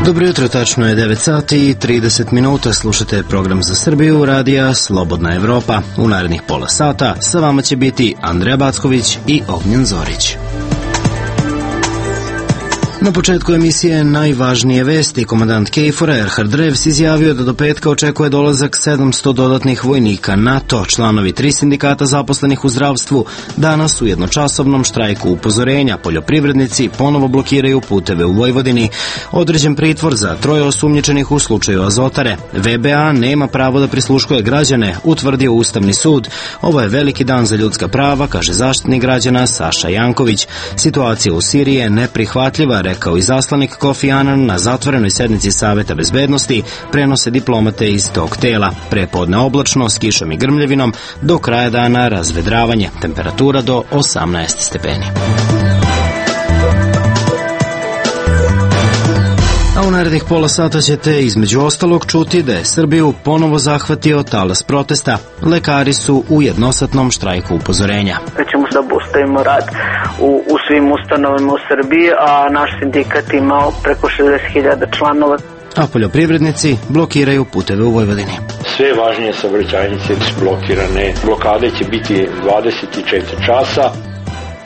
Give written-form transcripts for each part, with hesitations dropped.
Dobro jutro, tačno je 9 sati i 30 minuta. Slušate program za Srbiju, radija Slobodna Evropa. U narednih pola sata sa vama će biti Andreja Backović i Ognjen Zorić. Na početku emisije najvažnije vesti. Komandant KFOR-a Erhard Revs izjavio da do petka očekuje dolazak 700 dodatnih vojnika NATO. Članovi 3 sindikata zaposlenih u zdravstvu danas u jednočasovnom štrajku upozorenja. Poljoprivrednici ponovo blokiraju puteve u Vojvodini. Određen pritvor za 3 osumnjičenih u slučaju Azotare. VBA nema pravo da prisluškuje građane, utvrdio Ustavni sud. Ovo je veliki dan za ljudska prava, kaže zaštitnik građana Saša Janković. Situacija u Siriji je neprihvatljiva, rekao izaslanik Kofi Anan na zatvorenoj sednici Saveta bezbednosti, prenose diplomate iz tog tela. Prepodne oblačno, s kišom i grmljevinom, do kraja dana razvedravanje, temperatura do 18 stepeni. A u narednih pola sata ćete između ostalog čuti da je Srbiju ponovo zahvatio talas protesta. Lekari su u jednosatnom štrajku upozorenja. Ćemo da obustavimo rad u svim ustanovama u Srbiji, a naš sindikat imao preko 60.000 članova. A poljoprivrednici blokiraju puteve u Vojvodini. Sve važnije saobraćajnice su blokirane. Blokade će biti 24 časa.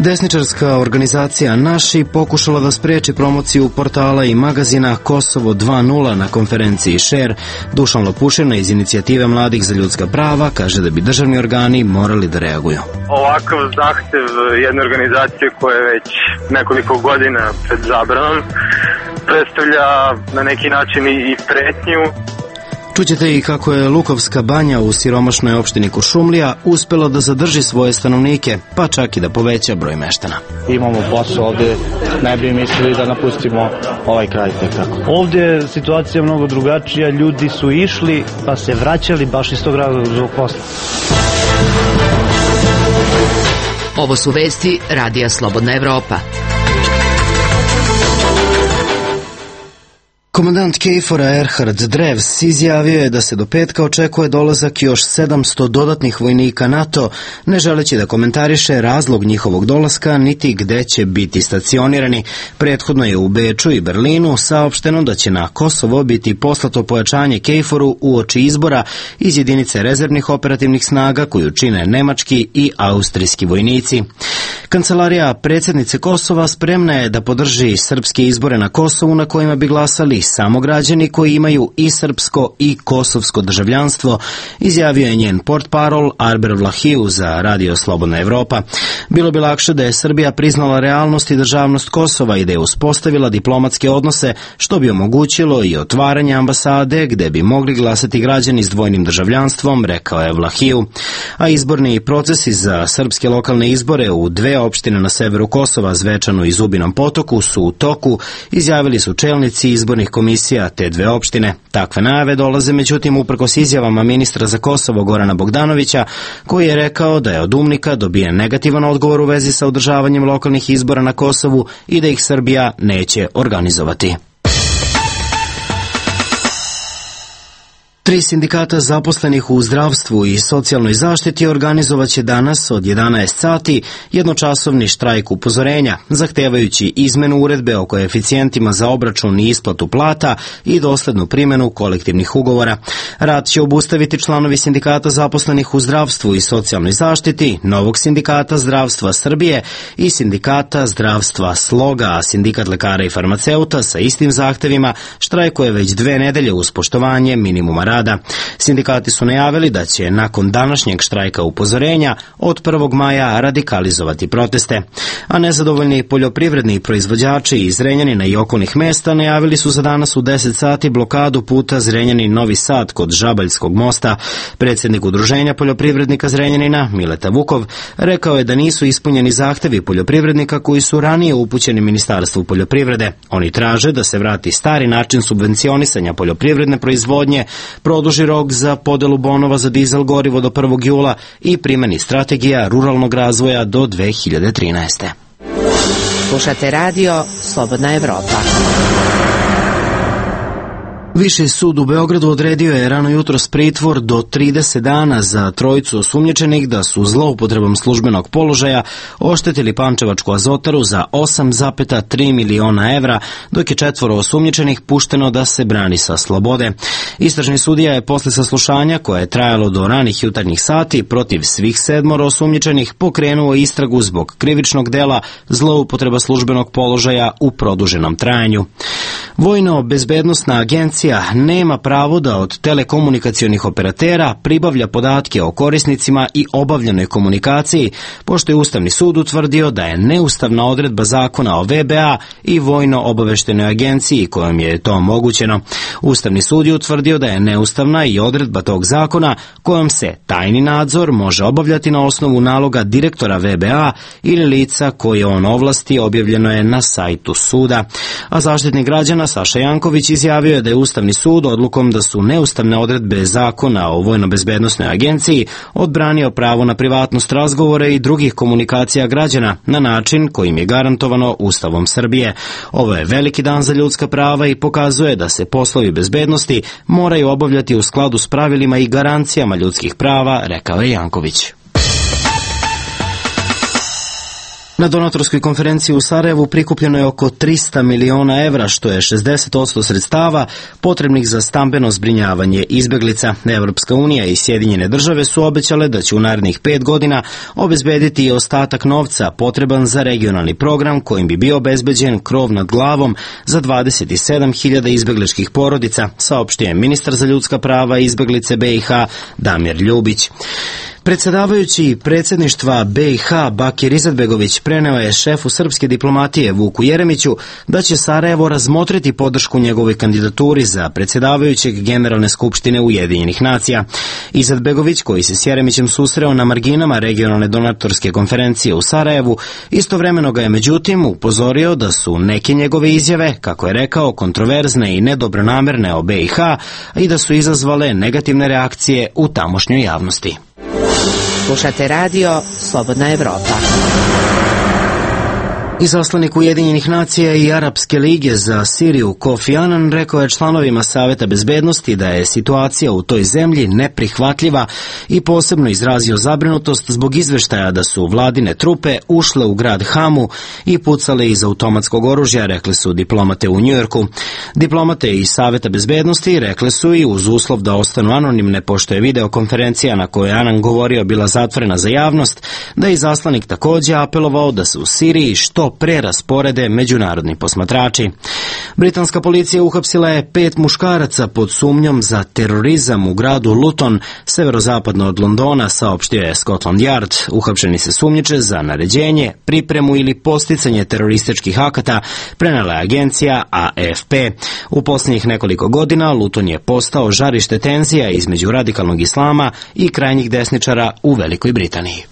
Desničarska organizacija Naši pokušala da spreči promociju portala i magazina Kosovo 2.0 na konferenciji Share. Dušan Lopušina iz Inicijative mladih za ljudska prava kaže da bi državni organi morali da reaguju. Ovakav zahtev jedne organizacije koja je već nekoliko godina pred zabranom predstavlja na neki način i pretnju. Čućete i kako je Lukovska banja u siromašnoj opštini Kuršumlija uspela da zadrži svoje stanovnike, pa čak i da poveća broj meštana. Imamo posao ovde, ne bi mislili da napustimo ovaj kraj tekako. Ovde je situacija mnogo drugačija, ljudi su išli pa se vraćali baš iz tog razloga posla. Ovo su vesti radija Slobodna Evropa. Komandant KFOR-a Erhard Revs izjavio je da se do petka očekuje dolazak još 700 dodatnih vojnika NATO, ne želeći da komentariše razlog njihovog dolaska niti gde će biti stacionirani. Prethodno je u Beču i Berlinu saopšteno da će na Kosovo biti poslato pojačanje KFOR-u uoči izbora iz jedinice rezervnih operativnih snaga koju čine nemački i austrijski vojnici. Kancelarija predsjednice Kosova spremna je da podrži srpske izbore na Kosovu na kojima bi glasali samo građani koji imaju i srpsko i kosovsko državljanstvo, izjavio je njen portparol Arber Vlahiju za radio Slobodna Evropa. Bilo bi lakše da je Srbija priznala realnost i državnost Kosova i da je uspostavila diplomatske odnose, što bi omogućilo i otvaranje ambasade gde bi mogli glasati građani s dvojnim državljanstvom, rekao je Vlahiju. A izborni procesi za srpske lokalne izbore u 2 opštine na severu Kosova, Zvečanu i Zubinom Potoku, su u toku, izjavili su čelnici izbornih komisija te 2 opštine. Takve najave dolaze međutim uprkos izjavama ministra za Kosovo Gorana Bogdanovića, koji je rekao da je od UMNIK-a dobijen negativan odgovor u vezi sa održavanjem lokalnih izbora na Kosovu i da ih Srbija neće organizovati. 3 sindikata zaposlenih u zdravstvu i socijalnoj zaštiti organizovaće danas od 11 sati jednočasovni štrajk upozorenja, zahtevajući izmenu uredbe o koeficijentima za obračun i isplatu plata i doslednu primjenu kolektivnih ugovora. Rad će obustaviti članovi sindikata zaposlenih u zdravstvu i socijalnoj zaštiti, Novog sindikata zdravstva Srbije i sindikata zdravstva Sloga, a sindikat lekara i farmaceuta sa istim zahtevima štrajkuje već 2 nedelje uz poštovanje minimuma rada. Sindikati su najavili da će nakon današnjeg štrajka upozorenja od 1. maja radikalizovati proteste. A nezadovoljni poljoprivredni proizvođači iz Zrenjanina i okolnih mesta najavili su za danas u 10 sati blokadu puta Zrenjanin-Novi Sad kod Žabaljskog mosta. Predsjednik Udruženja poljoprivrednika Zrenjanina, Mileta Vukov, rekao je da nisu ispunjeni zahtevi poljoprivrednika koji su ranije upućeni Ministarstvu poljoprivrede. Oni traže da se vrati stari način subvencionisanja poljoprivredne proizvodnje, produži rok za podelu bonova za dizel gorivo do 1. jula i primeni strategija ruralnog razvoja do 2013. Slušate radio Slobodna Evropa. Viši sud u Beogradu odredio je rano jutros pritvor do 30 dana za trojicu osumnjičenih da su zloupotrebom službenog položaja oštetili Pančevačku azotaru za 8,3 miliona evra, dok je 4 osumnjičenih pušteno da se brani sa slobode. Istražni sudija je posle saslušanja, koje je trajalo do ranih jutarnjih sati, protiv svih 7 osumnjičenih pokrenuo istragu zbog krivičnog dela zloupotreba službenog položaja u produženom trajanju. Vojno-bezbednosna agencija nema pravo da od telekomunikacionih operatera pribavlja podatke o korisnicima i obavljenoj komunikaciji, pošto je Ustavni sud utvrdio da je neustavna odredba zakona o VBA i Vojno-obaveštenoj agenciji kojom je to omogućeno. Ustavni sud je utvrdio da je neustavna i odredba tog zakona kojom se tajni nadzor može obavljati na osnovu naloga direktora VBA ili lica koje on ovlasti, objavljeno je na sajtu suda. A Zaštitnik građana Saša Janković izjavio je da je Ustavni sud odlukom da su neustavne odredbe zakona o Vojno-bezbednosnoj agenciji odbranio pravo na privatnost razgovora i drugih komunikacija građana na način kojim je garantovano Ustavom Srbije. Ovo je veliki dan za ljudska prava i pokazuje da se poslovi bezbednosti moraju obavljati u skladu s pravilima i garancijama ljudskih prava, rekao je Janković. Na donatorskoj konferenciji u Sarajevu prikupljeno je oko 300 miliona evra, što je 60% sredstava potrebnih za stambeno zbrinjavanje izbeglica. Evropska unija i Sjedinjene države su obećale da će u narednih 5 godina obezbediti i ostatak novca potreban za regionalni program kojim bi bio obezbeđen krov nad glavom za 27.000 izbegličkih porodica, saopštio je ministar za ljudska prava i izbeglice BiH Damir Ljubić. Predsjedavajući predsjedništva BiH Bakir Izetbegović preneo je šefu srpske diplomatije Vuku Jeremiću da će Sarajevo razmotriti podršku njegovoj kandidaturi za predsjedavajućeg Generalne skupštine Ujedinjenih nacija. Izetbegović, koji se s Jeremićem susreo na marginama regionalne donatorske konferencije u Sarajevu, istovremeno ga je međutim upozorio da su neke njegove izjave, kako je rekao, kontroverzne i nedobronamerne o BiH i da su izazvale negativne reakcije u tamošnjoj javnosti. Slušate radio Slobodna Evropa. Izaslanik Ujedinjenih nacija i Arapske lige za Siriju Kofi Anan rekao je članovima Saveta bezbednosti da je situacija u toj zemlji neprihvatljiva i posebno izrazio zabrinutost zbog izveštaja da su vladine trupe ušle u grad Hamu i pucale iz automatskog oružja, rekli su diplomate u Njujorku. Diplomate iz Saveta bezbednosti rekli su i uz uslov da ostanu anonimne, pošto je videokonferencija na kojoj Anan govorio bila zatvorena za javnost, da je izaslanik također apelovao da se u Siriji što prerasporede međunarodni posmatrači. Britanska policija uhapsila je 5 muškaraca pod sumnjom za terorizam u gradu Luton, severozapadno od Londona, saopštio je Scotland Yard. Uhapšeni se sumnjiče za naređenje, pripremu ili posticanje terorističkih akata, prenela je agencija AFP. U posljednjih nekoliko godina Luton je postao žarište tenzija između radikalnog islama i krajnjih desničara u Velikoj Britaniji.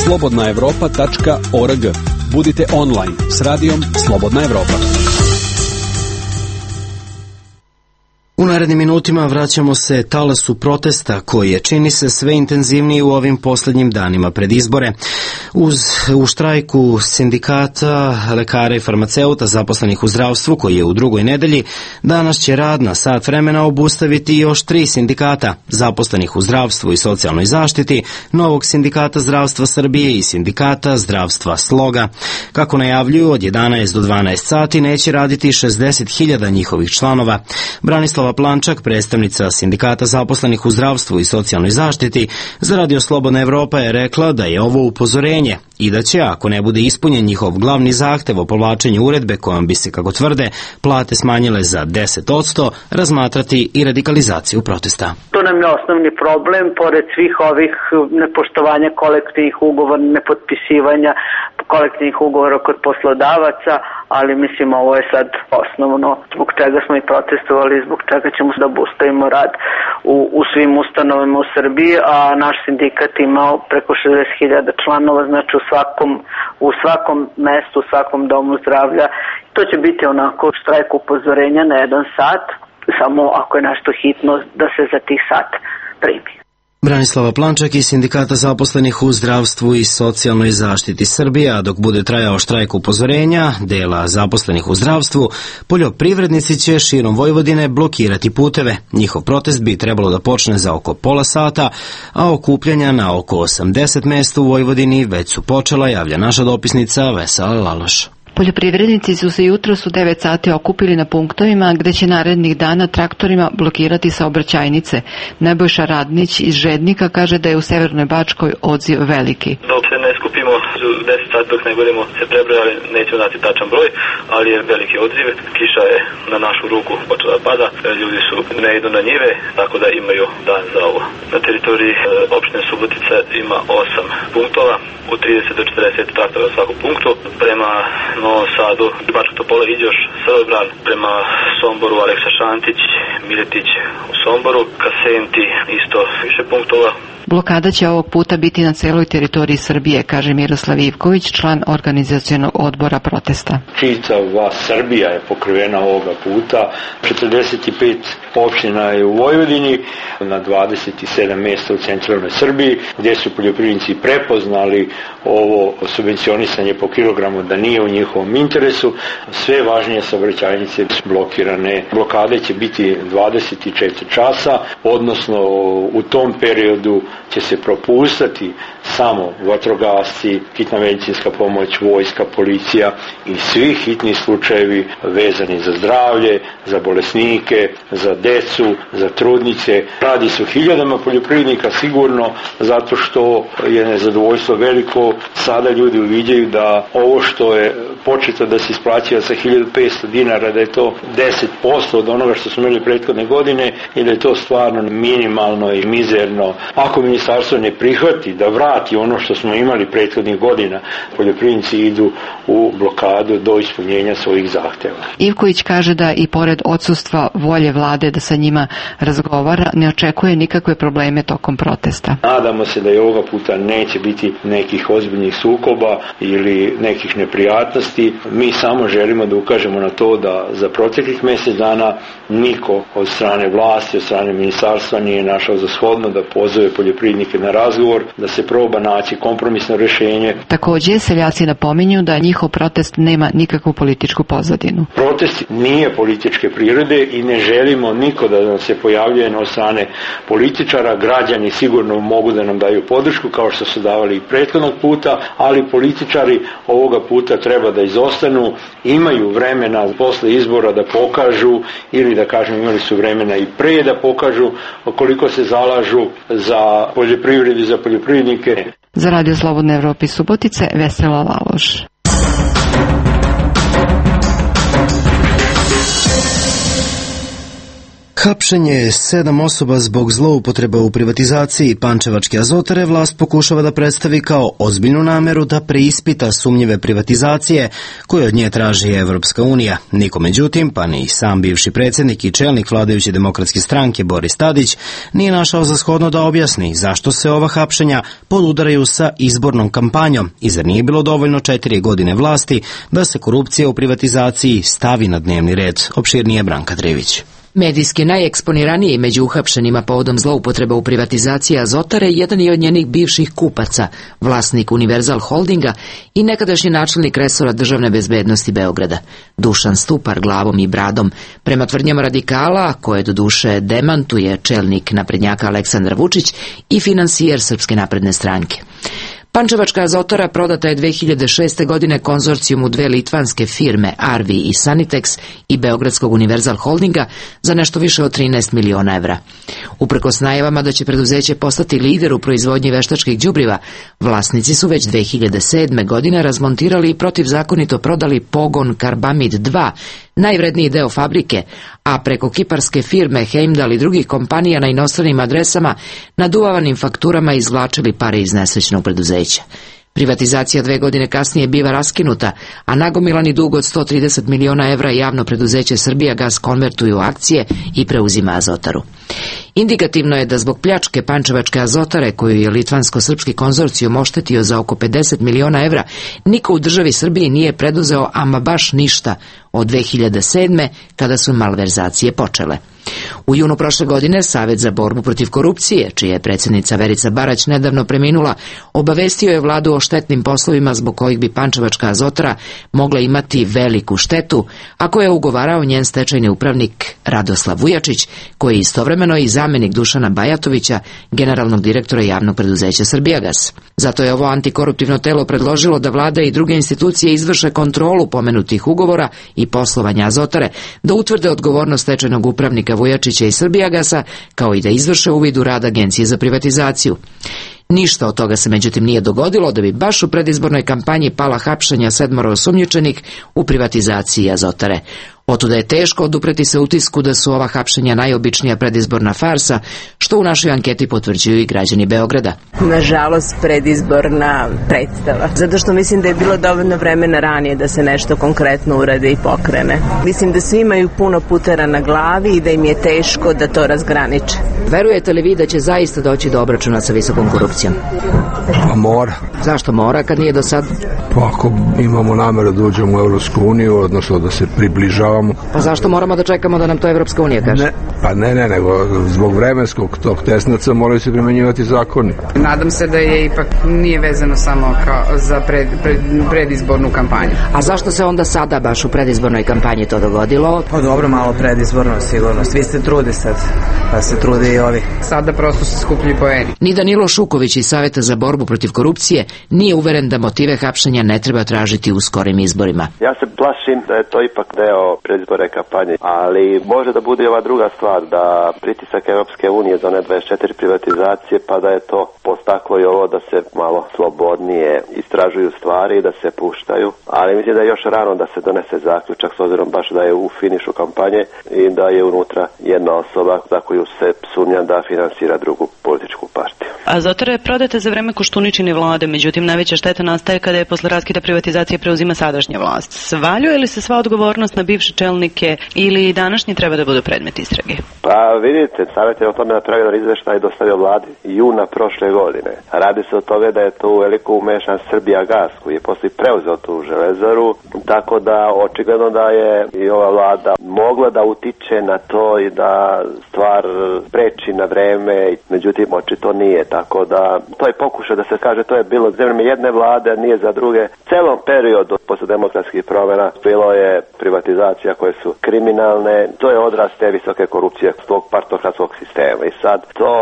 slobodnaevropa.org. Budite online s radijom Slobodna Evropa. U narednim minutima vraćamo se talasu protesta koji je, čini se, sve intenzivniji u ovim posljednjim danima pred izbore. U štrajku sindikata lekara i farmaceuta zaposlenih u zdravstvu, koji je u drugoj nedelji, danas će rad na sat vremena obustaviti još 3 sindikata zaposlenih u zdravstvu i socijalnoj zaštiti, Novog sindikata zdravstva Srbije i sindikata zdravstva Sloga. Kako najavljuju, od 11 do 12 sati neće raditi 60.000 njihovih članova. Branislava Plančak, predstavnica sindikata zaposlenih u zdravstvu i socijalnoj zaštiti, za Radio Slobodna Evropa je rekla da je ovo upozorenje i da će, ako ne bude ispunjen njihov glavni zahtev o povlačenju uredbe kojom bi se, kako tvrde, plate smanjile za 10%, razmatrati i radikalizaciju protesta. To nam je osnovni problem, pored svih ovih nepoštovanja kolektivnih ugovora, nepotpisivanja kolektivnih ugovora kod poslodavaca, ali mislim ovo je sad osnovno zbog čega smo i protestovali, zbog čega ćemo da obustavimo rad u svim ustanovama u Srbiji, a naš sindikat imao preko 60.000 članova, znači u svakom mestu, u svakom domu zdravlja. To će biti onako štrajk upozorenja na 1 sat, samo ako je nešto hitno da se za tih sat primi. Branislava Plančak iz Sindikata zaposlenih u zdravstvu i socijalnoj zaštiti Srbije, a dok bude trajao štrajk upozorenja dela zaposlenih u zdravstvu, poljoprivrednici će širom Vojvodine blokirati puteve. Njihov protest bi trebalo da počne za oko pola sata, a okupljanja na oko 80 mesta u Vojvodini već su počela, javlja naša dopisnica Vesela Laloš. Poljoprivrednici su se jutros u 9 sati okupili na punktovima gde će narednih dana traktorima blokirati saobraćajnice. Nebojša Radnić iz Žednika kaže da je u Severnoj Bačkoj odziv veliki. Dok se ne skupimo u 10 sati, dok ne budemo se prebrojali, nećemo znati tačan broj, ali je veliki odziv. Kiša je na našu ruku počela da pada, ljudi su ne idu na njive, tako da imaju dan za ovo. Na teritoriji opštine Subotica ima 8 punktova, u 30 do 40 traktora u svakom punktu. Prema Novom Sadu, Bačka Topola, Iđoš, Srbobran, prema Somboru Aleksa Šantić, Miletić u Somboru, Kasenti isto više punktova. Blokada će ovog puta biti na celoj teritoriji Srbije, kaže Miroslav Ivković, član organizacionog odbora protesta. Čitava Srbija je pokrivena ovoga puta, 45 opština je u Vojvodini, na 27 mjesta u centralnoj Srbiji, gdje su poljoprivrednici prepoznali ovo subvencionisanje po kilogramu da nije u njihovom interesu. Sve važnije saobraćajnice su blokirane. Blokade će biti 24 časa, odnosno u tom periodu će se propustati samo vatrogasci, hitna medicinska pomoć, vojska, policija i svi hitni slučajevi vezani za zdravlje, za bolesnike, za decu, za trudnice. Radi se o hiljadama poljoprivrednika sigurno, zato što je nezadovoljstvo veliko. Sada ljudi uviđaju da ovo što je početo da se isplaćuje sa 1500 dinara, da je to 10% od onoga što smo imali prethodne godine i da je to stvarno minimalno i mizerno. Ako ministarstvo ne prihvati da vrati ono što smo imali prethodnih godina, poljoprivrednici idu u blokadu do ispunjenja svojih zahteva. Ivković kaže da i pored odsustva volje vlade da sa njima razgovara, ne očekuje nikakve probleme tokom protesta. Nadamo se da i ovoga puta neće biti nekih ozbiljnih sukoba ili nekih neprijatnosti. Mi samo želimo da ukažemo na to da za proteklih mjesec dana niko od strane vlasti, od strane ministarstva nije našao za shodno da pozove poljoprivrednike na razgovor, da se proba naći kompromisno rješenje. Također, seljaci napominju da njihov protest nema nikakvu političku pozadinu. Protest nije političke prirode i ne želimo niko da nam se pojavljuje od strane političara. Građani sigurno mogu da nam daju podršku kao što su davali i prethodnog puta, ali političari ovoga puta treba da izostanu, imaju vremena posle izbora da pokažu ili da kažem imali su vremena i pre da pokažu koliko se zalažu za poljoprivredu i za poljoprivrednike. Za Radio Slobodne Evrope iz Subotice, Vesela Laloš. Hapšenje 7 osoba zbog zloupotreba u privatizaciji Pančevačke azotare vlast pokušava da predstavi kao ozbiljnu nameru da preispita sumnjive privatizacije koje od nje traži Evropska unija. Niko međutim, pa ni sam bivši predsjednik i čelnik vladajuće demokratske stranke Boris Tadić nije našao za shodno da objasni zašto se ova hapšenja podudaraju sa izbornom kampanjom i zar nije bilo dovoljno 4 godine vlasti da se korupcija u privatizaciji stavi na dnevni red. Opširnije Branka Trivić. Medijski najeksponiraniji među uhapšenima povodom zloupotreba u privatizaciji Azotare jedan je od njenih bivših kupaca, vlasnik Univerzal Holdinga i nekadašnji načelnik resora državne bezbednosti Beograda, Dušan Stupar glavom i bradom, prema tvrdnjama radikala, koje do duše demantuje čelnik naprednjaka Aleksandar Vučić i finansijer Srpske napredne stranke. Pančevačka azotara prodata je 2006. godine konzorcijumu dve litvanske firme Arvi i Sanitex i Beogradskog Univerzal Holdinga za nešto više od 13 miliona evra. Uprkos najavama da će preduzeće postati lider u proizvodnji veštačkih đubriva, vlasnici su već 2007. godine razmontirali i protivzakonito prodali pogon Karbamid 2, najvredniji deo fabrike, a preko kiparske firme Heimdall i drugih kompanija na inostranim adresama naduvavanim fakturama izvlačili pare iz nesrećnog preduzeća. Privatizacija 2 godine kasnije biva raskinuta, a nagomilani dug od 130 miliona evra javno preduzeće Srbijagas konvertuje u akcije i preuzima Azotaru. Indikativno je da zbog pljačke Pančevačke azotare, koju je litvansko-srpski konzorcijum oštetio za oko 50 miliona evra, niko u državi Srbiji nije preduzeo ama baš ništa od 2007. kada su malverzacije počele. U junu prošle godine Savet za borbu protiv korupcije, čija je predsjednica Verica Barać nedavno preminula, obavestio je vladu o štetnim poslovima zbog kojih bi Pančevačka Azotara mogla imati veliku štetu, a koje je ugovarao njen stečajni upravnik Radoslav Vujačić, koji je istovremeno i zamjenik Dušana Bajatovića, generalnog direktora javnog preduzeća Srbijagas. Zato je ovo antikoruptivno telo predložilo da vlada i druge institucije izvrše kontrolu pomenutih ugovora i poslovanja Azotare, da utvrde odgovornost stečajnog upravnika Vujačića i Srbijagasa, kao i da izvrše uvid u rad Agencije za privatizaciju. Ništa od toga se međutim nije dogodilo, da bi baš u predizbornoj kampanji pala hapšenja 7 osumnjičenih u privatizaciji Azotare. Otuda je teško odupreti se utisku da su ova hapšenja najobičnija predizborna farsa, što u našoj anketi potvrđuju i građani Beograda. Nažalost, predizborna predstava. Zato što mislim da je bilo dovoljno vremena ranije da se nešto konkretno urade i pokrene. Mislim da svi imaju puno putera na glavi i da im je teško da to razgraniče. Verujete li vi da će zaista doći do obračuna sa visokom korupcijom? Pa mora. Zašto mora kad nije do sad? Pa ako imamo nameru da uđemo u Evropsku uniju, odnosno da se približavamo. Pa zašto moramo da čekamo da nam to Evropska unija kaže? Nego zbog vremenskog tog tesnaca moraju se primenjivati zakoni. Nadam se da je ipak nije vezano samo za predizbornu kampanju. A zašto se onda sada baš u predizbornoj kampanji to dogodilo? Pa dobro, malo predizborno sigurno. Svi se trude sad, pa se trude i ovi. Sada prosto se skupljaju poeni. Ni Danilo Šuković iz Saveta za borbu protiv korupcije nije uveren da motive hapšenja ne treba tražiti u skorim izborima. Ja se plašim da je to ipak deo predizborne kampanje, ali može da bude i ova druga stvar, da pritisak Europske unije za one 24 privatizacije, pa da je to postaklo i ovo da se malo slobodnije istražuju stvari i da se puštaju, ali mislim da je još rano da se donese zaključak, s obzirom baš da je u finišu kampanje i da je unutra jedna osoba za koju se sumnja da finansira drugu političku partiju. Azotara je prodata za vreme Koštuničine vlade, međutim najveća šteta nastaje kada je posle raskida privatizacije preuzima sadašnja vlast. Svaljuje li se sva odgovornost na bivše čelnike ili današnji treba da budu predmet istrage? Pa vidite, Savet je o tome napravio izveštaj i dostavio vladi juna prošle godine. Radi se o tome da je tu veliko umešan Srbijagas, koji je posle preuzeo tu železaru, tako da očigledno da je i ova vlada mogla da utiče na to i da stvar spreči na vreme, međutim očito nije, tako da to je pokušaj da se kaže to je bilo za vreme jedne vlade, a nije za druge. Celom periodu posle demokratskih promjena bilo je privatizacija koje su kriminalne, to je odraz te visoke korupcije tog partokratskog sistema i sad to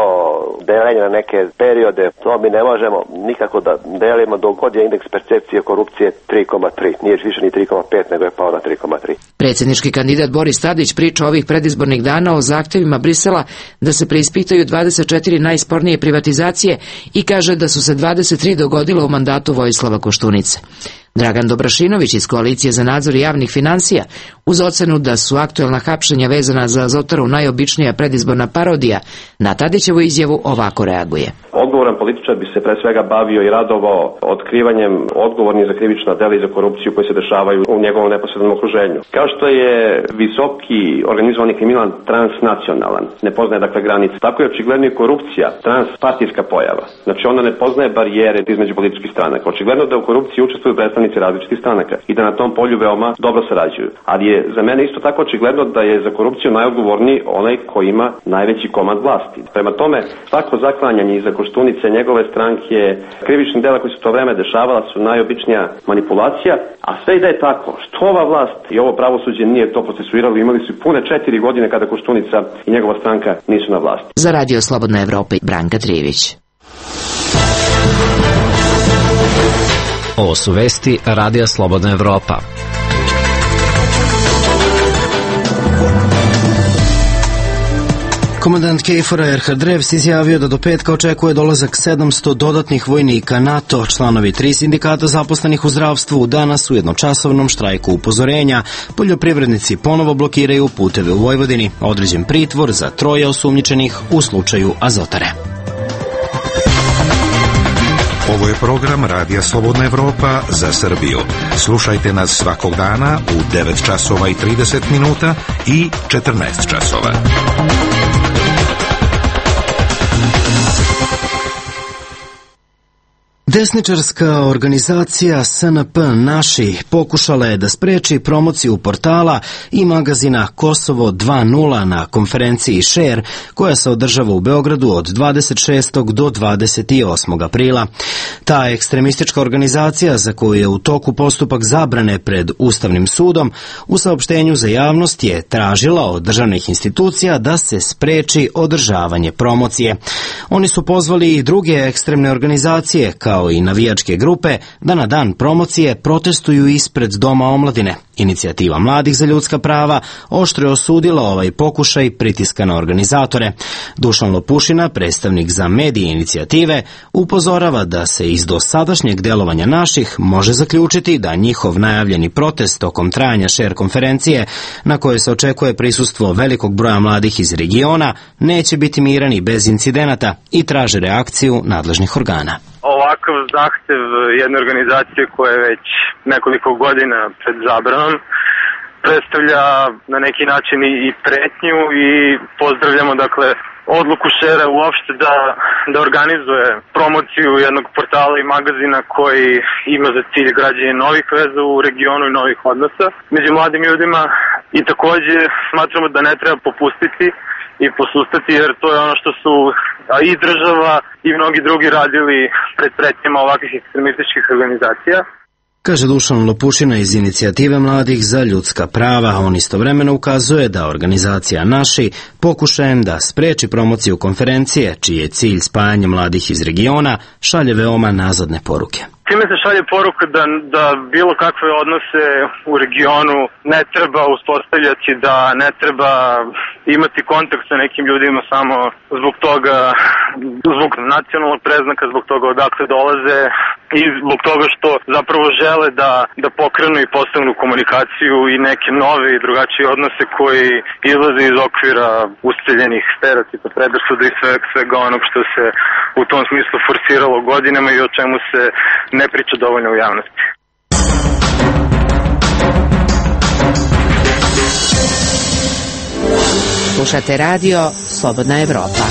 deljenje na neke periode, to mi ne možemo nikako da delimo dok god je indeks percepcije korupcije 3,3, nije više ni 3,5 nego je pao na 3,3. Predsjednički kandidat Boris Tadić priča ovih predizbornih dana o zahtjevima Brisela da se preispitaju 24 najspornije privatizacije i kaže da su se 23 dogodile u mandatu Vojislava Koštunice. Dragan Dobrašinović iz Koalicije za nadzor javnih finansija, uz ocenu da su aktuelna hapšenja vezana za Azotaru najobičnija predizborna parodija, na Tadićevu izjavu ovako reaguje. Odgovoran političar bi se pre svega bavio i radovao otkrivanjem odgovornih za krivična dela i za korupciju koji se dešavaju u njegovom neposrednom okruženju. Kao što je visoki organizovani kriminal transnacionalan, ne poznaje dakle granice, tako je očigledno i korupcija transpartijska pojava. Znači ona ne poznaje barijere između političkih stranaka. Očigledno da u korupciji učestvuju predstavnici različitih stranaka i da na tom polju veoma dobro sarađuju. Ali je za mene isto tako očigledno da je za korupciju najodgovorniji onaj koji ima najveći komad vlasti. Prema tome, svako zaklanjanje iza Koštunice, njegove stranke, krivičnih dela koji su to vreme dešavala su najobičnija manipulacija, a sve i da je tako, što ova vlast i ovo pravosuđe nije to procesuiralo, imali su pune 4 godine kada Koštunica i njegova stranka nisu na vlasti. Za Radio Slobodna Evropa, Branka Trijević. Ovo su vesti Radija Slobodna Evropa. Komandant KFOR-a Erhard Revs izjavio da do petka očekuje dolazak 700 dodatnih vojnika NATO. Članovi 3 sindikata zaposlenih u zdravstvu danas u jednočasovnom štrajku upozorenja. Poljoprivrednici ponovo blokiraju puteve u Vojvodini. Određen pritvor za 3 osumnjičenih u slučaju Azotare. Ovo je program Radija Slobodna Evropa za Srbiju. Slušajte nas svakog dana u 9 časova i 30 minuta i 14 časova. Desničarska organizacija SNP Naši pokušala je da spreči promociju portala i magazina Kosovo 2.0 na konferenciji Share, koja se održava u Beogradu od 26. do 28. aprila. Ta ekstremistička organizacija, za koju je u toku postupak zabrane pred Ustavnim sudom, u saopštenju za javnost je tražila od državnih institucija da se spreči održavanje promocije. Oni su pozvali i druge ekstremne organizacije, kao i navijačke grupe, da na dan promocije protestuju ispred Doma omladine. Inicijativa mladih za ljudska prava oštro je osudila ovaj pokušaj pritiska na organizatore. Dušan Lopušina, predstavnik za medije inicijative, upozorava da se iz dosadašnjeg delovanja Naših može zaključiti da njihov najavljeni protest tokom trajanja Share konferencije, na kojoj se očekuje prisustvo velikog broja mladih iz regiona, neće biti miran i bez incidenata i traže reakciju nadležnih organa. Ovakav zahtev jedne organizacije koja je već nekoliko godina pred zabranom predstavlja na neki način i pretnju i pozdravljamo odluku Share uopšte da organizuje promociju jednog portala i magazina koji ima za cilj građenje novih veza u regionu i novih odnosa među mladim ljudima i takođe smatramo da ne treba popustiti i posustati, jer to je ono što su i država i mnogi drugi radili pred pretnjama ovakvih ekstremističkih organizacija. Kaže Dušan Lopušina iz inicijative mladih za ljudska prava. On istovremeno ukazuje da organizacija Naši pokušajem da spreči promociju konferencije, čiji je cilj spajanje mladih iz regiona, šalje veoma nazadne poruke. Time se šalje poruka da bilo kakve odnose u regionu ne treba uspostavljati, da ne treba imati kontakt sa nekim ljudima samo zbog toga, zbog nacionalnog preznaka, zbog toga odakle dolaze i zbog toga što zapravo žele da pokrenu i postavnu komunikaciju i neke nove i drugačije odnose koji izlaze iz okvira ustaljenih stereotipa, predrasuda i svega onog što se u tom smislu forsiralo godinama i o čemu se ne priča dovoljno u javnosti. Slušate radio Slobodna Evropa.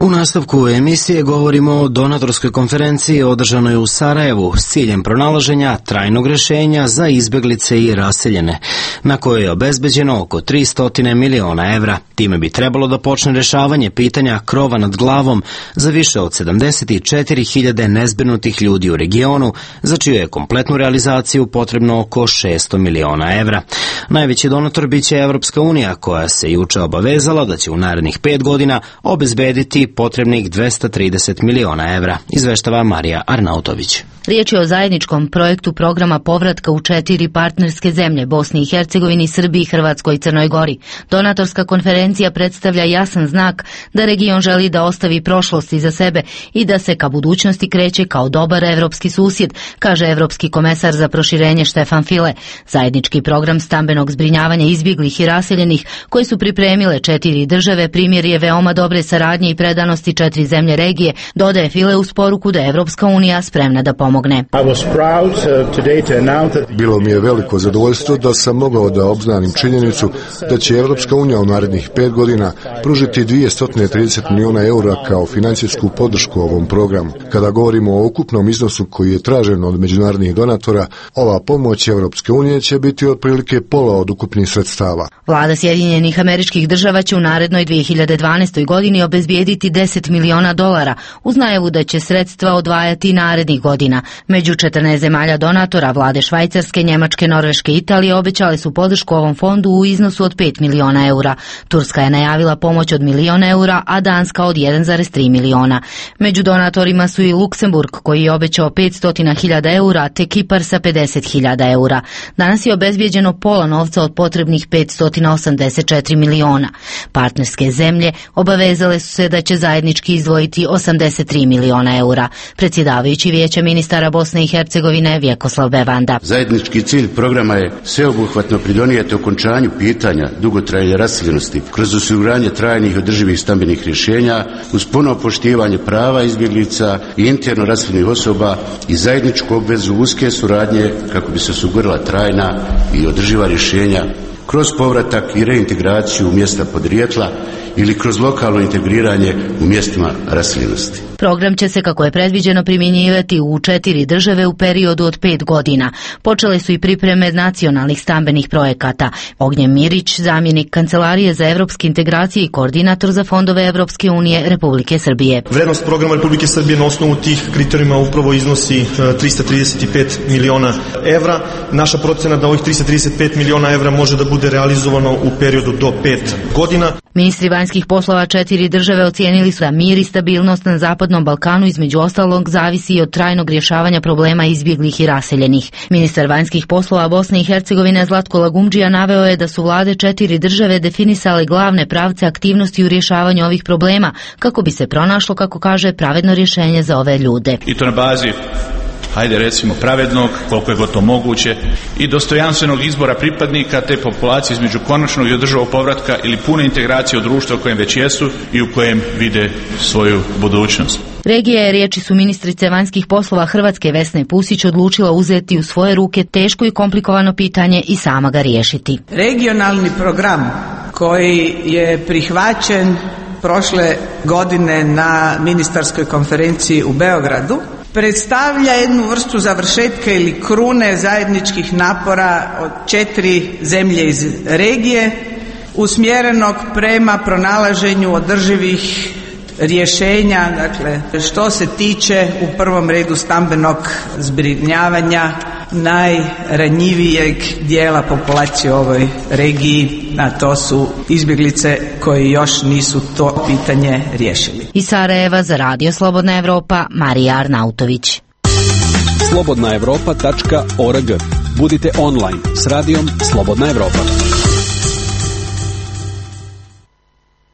U nastavku emisije govorimo o donatorskoj konferenciji održanoj u Sarajevu s ciljem pronalaženja trajnog rešenja za izbeglice i raseljene, na kojoj je obezbeđeno oko 300 miliona evra. Time bi trebalo da počne rešavanje pitanja krova nad glavom za više od 74.000 nezbrinutih ljudi u regionu, za čiju je kompletnu realizaciju potrebno oko 600 miliona evra. Najveći donator biće Evropska unija, koja se juče obavezala da će u narednih 5 godina obezbediti potrebnih 230 miliona evra, izveštava Marija Arnautović. Riječ je o zajedničkom projektu programa povratka u 4 partnerske zemlje, Bosni i Hercegovini, Srbiji, Hrvatskoj i Crnoj Gori. Donatorska konferencija predstavlja jasan znak da region želi da ostavi prošlost iza sebe i da se ka budućnosti kreće kao dobar evropski susjed, kaže evropski komesar za proširenje Štefan File. Zajednički program stambenog zbrinjavanja izbjeglih i raseljenih koji su pripremile 4 države primjer je veoma dobre saradnje i predanosti 4 zemlje regije, dodaje File uz poruku da je Evropska unija spremna da pomogne. Bilo mi je veliko zadovoljstvo da sam mogao da obznanim činjenicu da će Evropska unija u narednih 5 godina pružiti 230 miliona eura kao financijsku podršku ovom programu. Kada govorimo o ukupnom iznosu koji je tražen od međunarodnih donatora, ova pomoć Evropske unije će biti otprilike pola od ukupnih sredstava. Vlada Sjedinjenih Američkih Država će u narednoj 2012. godini obezbijediti $10 miliona uz najavu da će sredstva odvajati narednih godina. Među 14 zemalja donatora vlade Švajcarske, Njemačke, Norveške i Italije obećale su podršku ovom fondu u iznosu od 5 miliona eura. Turska je najavila pomoć od 1 milion eura, a Danska od 1,3 miliona. Među donatorima su i Luksemburg koji je obećao 500.000 eura, te Kipar sa 50.000 eura. Danas je obezbijeđeno pola novca od potrebnih 584 miliona. Partnerske zemlje obavezale su se da će zajednički izdvojiti 83 miliona eura. Predsjedavajući Vijeća ministara Bosne i Hercegovine Vjekoslav Bevanda. Zajednički cilj programa je sveobuhvatno pridonijeti okončanju pitanja dugotrajne raseljenosti kroz osiguranje trajnih i održivih stambenih rješenja uz puno poštivanje prava izbjeglica i interno raseljenih osoba i zajedničku obvezu uske suradnje kako bi se osigurala trajna i održiva rješenja kroz povratak i reintegraciju mjesta podrijetla ili kroz lokalno integriranje u mjestima raseljenosti. Program će se, kako je predviđeno, primjenjivati u 4 države u periodu od 5 godina. Počele su i pripreme nacionalnih stambenih projekata. Ognjen Mirić, zamjenik Kancelarije za evropske integracije i koordinator za fondove Evropske unije Republike Srbije. Vrednost programa Republike Srbije na osnovu tih kriterijuma upravo iznosi 335 miliona evra. Naša procena da ovih 335 miliona evra može da bude realizovano u periodu do 5 godina. Ministri vanjskih poslova 4 države ocijenili su da mir i stabilnost na Zapadnom Balkanu između ostalog zavisi i od trajnog rješavanja problema izbjeglih i raseljenih. Ministar vanjskih poslova Bosne i Hercegovine Zlatko Lagumdžija naveo je da su vlade 4 države definisale glavne pravce aktivnosti u rješavanju ovih problema kako bi se pronašlo, kako kaže, pravedno rješenje za ove ljude. I to na bazi, hajde recimo, pravednog, koliko je gotovo moguće, i dostojanstvenog izbora pripadnika te populacije između konačnog i održivog povratka ili pune integracije u društvo u kojem već jesu i u kojem vide svoju budućnost. Regija je, riječi su ministrice vanjskih poslova Hrvatske Vesne Pusić, odlučila uzeti u svoje ruke teško i komplikovano pitanje i sama ga riješiti. Regionalni program koji je prihvaćen prošle godine na ministarskoj konferenciji u Beogradu predstavlja jednu vrstu završetka ili krune zajedničkih napora od 4 zemlje iz regije usmjerenog prema pronalaženju održivih rješenja, dakle što se tiče u prvom redu stambenog zbrinjavanja najranjivijeg dijela populacije u ovoj regiji, a to su izbjeglice koji još nisu to pitanje riješili. Iz Sarajeva za Radio Slobodna Evropa, Marija Arnautović. slobodnaevropa.org. Budite online s radijom Slobodna Evropa.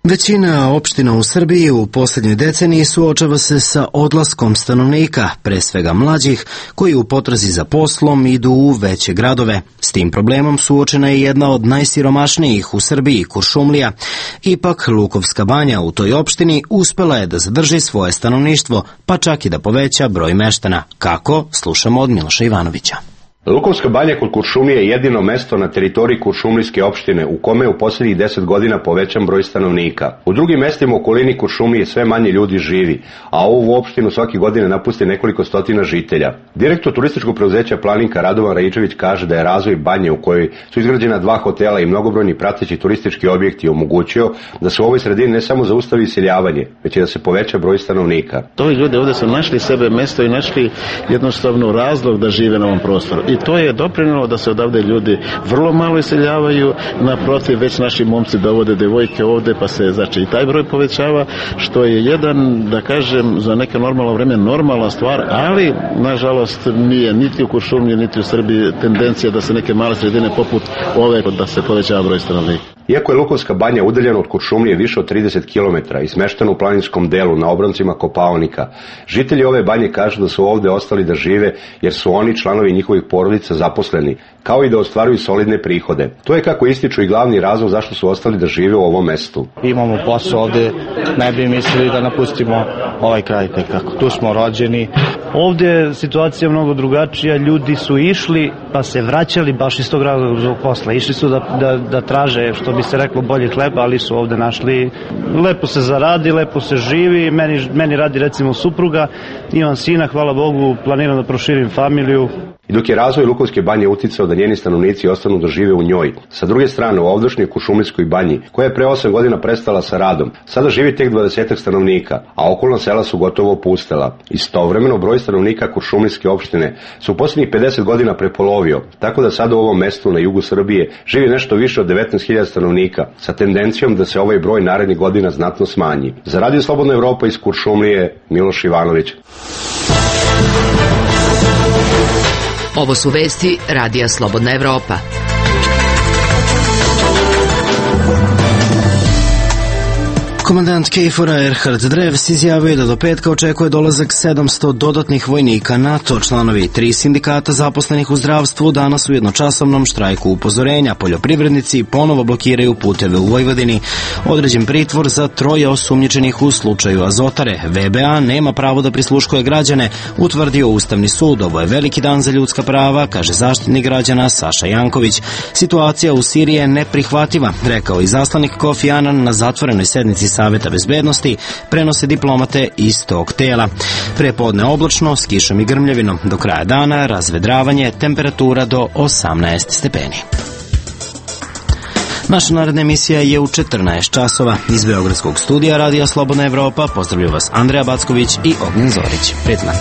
Većina opština u Srbiji u posljednjoj deceniji suočava se sa odlaskom stanovnika, pre svega mlađih, koji u potrazi za poslom idu u veće gradove. S tim problemom suočena je jedna od najsiromašnijih u Srbiji, Kuršumlija. Ipak, Lukovska banja u toj opštini uspela je da zadrži svoje stanovništvo, pa čak i da poveća broj meštana. Kako? Slušamo od Miloša Ivanovića. Lukovska banja kod Kuršumlije je jedino mesto na teritoriji Kuršumlijske opštine u kome je u posljednjih 10 godina povećan broj stanovnika. U drugim mestima u okolini Kuršumlije sve manje ljudi živi, a ovu opštinu svake godine napusti nekoliko stotina žitelja. Direktor turističkog preduzeća Planinka Radovan Raičević kaže da je razvoj banje u kojoj su izgrađena 2 hotela i mnogobrojni prateći turistički objekti omogućio da se u ovoj sredini ne samo zaustavi iseljavanje, već i da se poveća broj stanovnika. Ovi ljudi ovdje su našli sebe mesto i našli jednostavno razlog da žive na ovom prostoru. I to je doprinjelo da se odavde ljudi vrlo malo iseljavaju, naprotiv već naši momci dovode devojke ovdje, pa se znači i taj broj povećava, što je jedan, da kažem, za neke normalno vreme normalna stvar, ali nažalost nije niti u Kuršumliji niti u Srbiji tendencija da se neke male sredine poput ove da se povećava broj stanovnika. Iako je Lukovska banja udaljena od Kuršumlije više od 30 km i smeštena u planinskom delu na obroncima Kopaonika, žitelji ove banje kažu da su ovdje ostali da žive jer su oni, članovi njihovih porodica, zaposleni, kao i da ostvaruju solidne prihode. To je, kako ističu, i glavni razlog zašto su ostali da žive u ovom mestu. Imamo posao ovdje, ne bi mislili da napustimo ovaj kraj tekako. Tu smo rođeni. Ovdje je situacija mnogo drugačija, ljudi su išli pa se vraćali baš iz tog razloga zbog posla. Išli su da traže, što bi se reklo, bolji hleb, ali su ovdje našli. Lepo se zaradi, lepo se živi, meni radi recimo supruga, imam sina, hvala Bogu, planiram da proširim familiju. I dok je razvoj Lukovske banje uticao da njeni stanovnici ostanu da žive u njoj, sa druge strane u ovdašnjoj Kuršumlijskoj banji, koja je pre 8 godina prestala sa radom, sada živi tek 20 stanovnika, a okolna sela su gotovo opustela. Istovremeno broj stanovnika Kuršumlijske opštine se u posljednjih 50 godina prepolovio, tako da sada u ovom mestu na jugu Srbije živi nešto više od 19.000 stanovnika, sa tendencijom da se ovaj broj narednih godina znatno smanji. Za Radio Slobodna Evropa iz Kuršumlije, Miloš Ivanović. Ovo su vesti Radija Slobodna Evropa. Komandant KFOR-a Erhard Drevs izjavio da do petka očekuje dolazak 700 dodatnih vojnika NATO. Članovi 3 sindikata zaposlenih u zdravstvu danas u jednočasovnom štrajku upozorenja. Poljoprivrednici ponovo blokiraju puteve u Vojvodini. Određen pritvor za 3 osumnjičenih u slučaju Azotare. VBA nema pravo da prisluškuje građane, utvrdio Ustavni sud. Ovo je veliki dan za ljudska prava, kaže zaštitnik građana Saša Janković. Situacija u Siriji je neprihvatljiva, rekao i zaslanik Kofi Anan na zatvorenoj sednici Saveta bezbednosti, prenose diplomate iz tog tela. Prepodne oblačno, s kišom i grmljavinom. Do kraja dana razvedravanje, temperatura do 18 stepeni. Naša naredna emisija je u 14 časova. Iz Beogradskog studija Radija Slobodna Evropa pozdravljaju vas Andreja Backović i Ognjen Zorić. Prijetno.